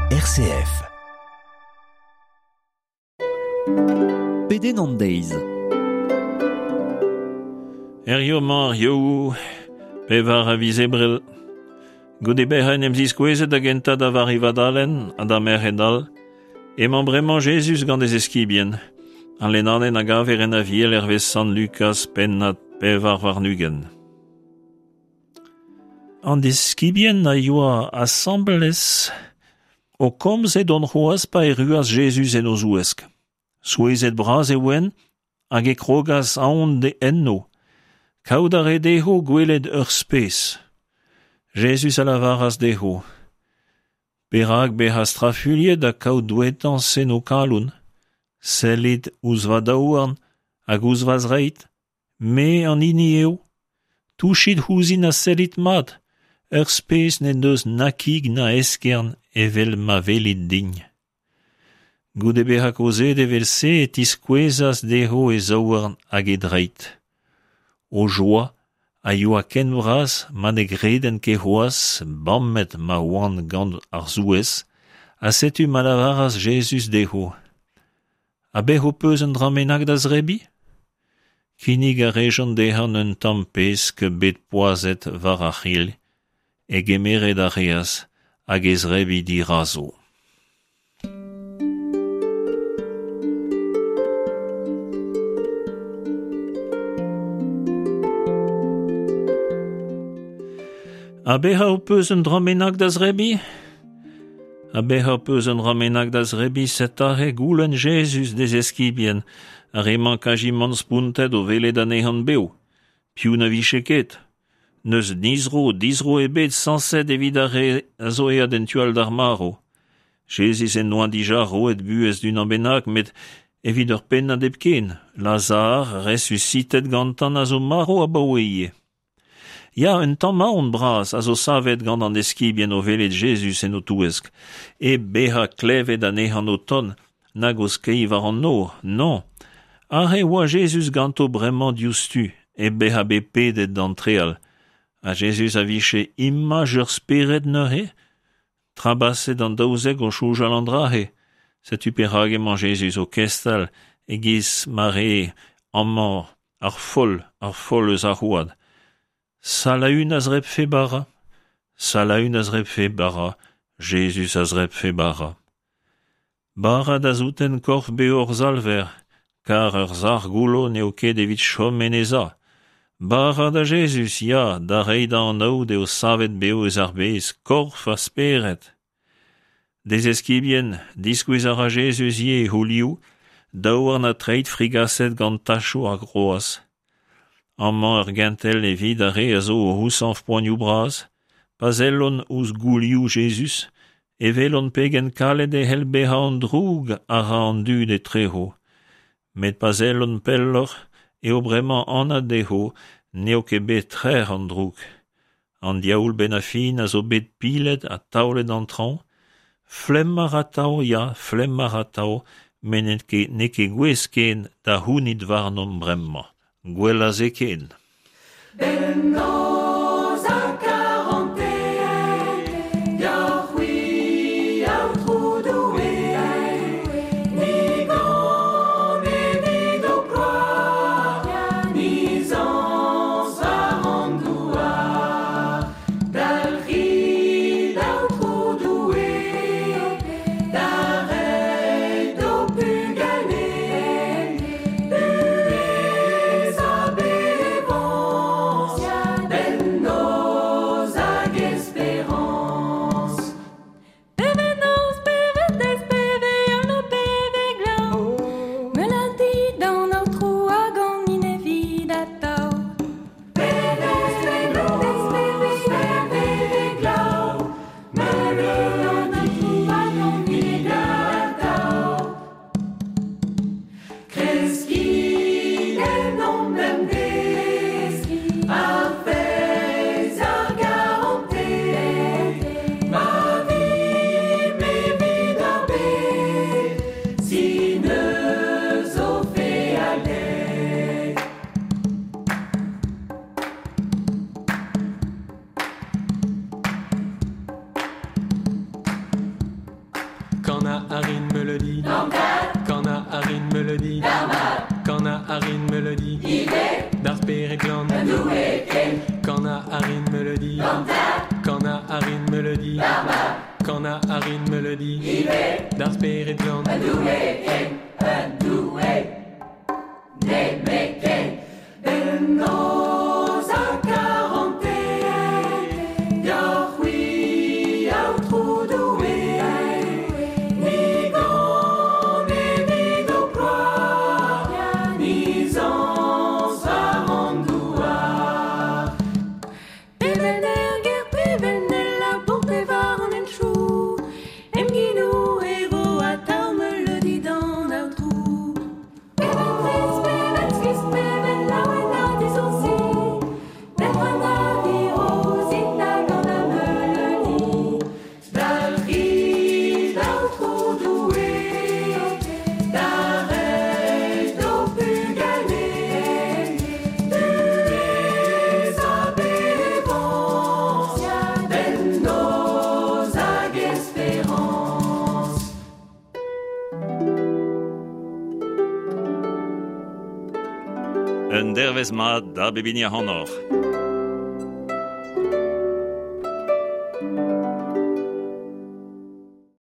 RCF. Pedenn an deiz. Herrio 'mañ ar Yaou, pevar a viz Ebrel. Goude bezañ en em ziskouezet da gentañ da Vari Vadalen ha da merc'hed all, emañ bremañ Jezuz gant e zeskibien. Al lennadenn a gaver en Aviel hervez Sant Lukaz pennad 24. An diskibien a yoa asambles o komz edont c'hoazh pa erruas Jezuz en o zouesk. Souezhet bras e oent hag e krogas aon enno. Kaout a rae dezho gwelet ur spes. Jezuz a lavaras dezho: Perak bezañ strafuilhet ha kaout douetañs en ho kalon? Sellit ouzh va daouarn hag ouzh va zreid. Me an hini eo. Touchit ouzhin ha sellit mat. Ur spes n'en deus na kig na eskern evel ma welit din. Goude bezañ kaozeet evel-se e tiskouezas dezho e zaouarn hag e dreid. O joa a yoa ken bras ma ne gredent ket c'hoazh, bamet ma oant gant ar souezh, ha setu ma lavaras Jezuz dezho: Ha bet ho peus un dra bennak da zebriñ? Kinnig a rejont dezhañ un tamm pesk bet poazhet war ar c'hrilh, e gemeret a reas hag e zebriñ dirazo. Ha bezañ ho peus un dra bennak da zebriñ? Ha bezañ ho peus un dra bennak da zebriñ, set' aze goulenn Jezuz d'e zeskibien, ar re-mañ kazimant spontet o welet anezhañ bev. Piv na vije ket? N'eus dizro, dizro ebet sañset evit ar re a zo aet en tu all d'ar marv. Jezuz en doa dija roet buhez d'unan bennak met evit ur pennad hepken, Lazar, resusitet gantañ a zo marv abaoe ivez. Ya, un tamm aon bras a zo savet gant an eskibien o welet Jezuz en o touesk, hep bezañ klevet anezhañ o tont nag o skeiñ war an nor, non. Aze e oa Jezuz ganto bremañ diouzhtu, hep bezañ bet pedet d'antreal. Ha Jezuz a vije imaj ur spered neuze? Trabaset an daouzek o soñjal an dra-se. Setu perak emañ Jezuz o kestal e-giz ma rae amañ Ar foll, ar foll eus ar c'hoad. Salaün a zrebfe bara, Salaün a zrebfe bara, Jezuz a zrebfe bara. Bara da souten korf bev hor Salver, kar ur sac'h goullo n'eo ket evit chom en e za. Bara da Jezuz, ya, da reiñ da anaout eo savet bev eus ar bez, korf ha spered. D'e zeskibien, diskouez a ra Jezuz ivez e c'houlioù, daouarn ha treid frigaset gant tachoù ar groaz. Amañ ur gentel evit ar re a zo o c'houzañv poanioù bras, pa sellont ouzh goulioù Jezuz, e welont pegen kalet e c'hell bezañ an droug a ra an dud etrezo. Met pa sellont pelloc'h eo bremañ anat dezho n'eo ket bet trec'h an droug. An diaoul 'benn ar fin a zo bet pilet ha taolet d'an traoñ. Flemm a ra atav, ya, flemm a ra atav, met n'eo ket n'eo ket gouest ken da c'hounit warnomp bremañ. Gwell a se ken. Bemnoz ha karantez, deoc'h-c'hwi, Aotrou Doue, ni gan evit ho kloar, ni zañs war an douar. Dalc'hit, Aotrou Doue, da reiñ d'ho pugale buhez ha bevañs. Kana a rin meleudi. Kana a rin meleudi. Kana a rin meleudi. D'ar spered glan. Kana a rin meleudi. Kana a rin meleudi. Kana a rin meleudi. D'ar spered glan. Bennoz ha karante, deoc'h-c'hwi, Aotrou Doue, ni gan evit ho ploaz, ni zañs war an douar. Peven er ger, peven el labour pe war an henchoù, em ginou e vo atav meuleudi d'an Aotrou. Peven trist, peven skuizh, peven laouen ha dizoursi, petra na viro ouzhin da ganañ meuleudi. Dalc'hit, Aotrou Doue, da reiñ d'ho pugale, buhez ha bevañs, bemnoz hag esperañs. Un dervezh mat da bep hini ac'hanoc'h.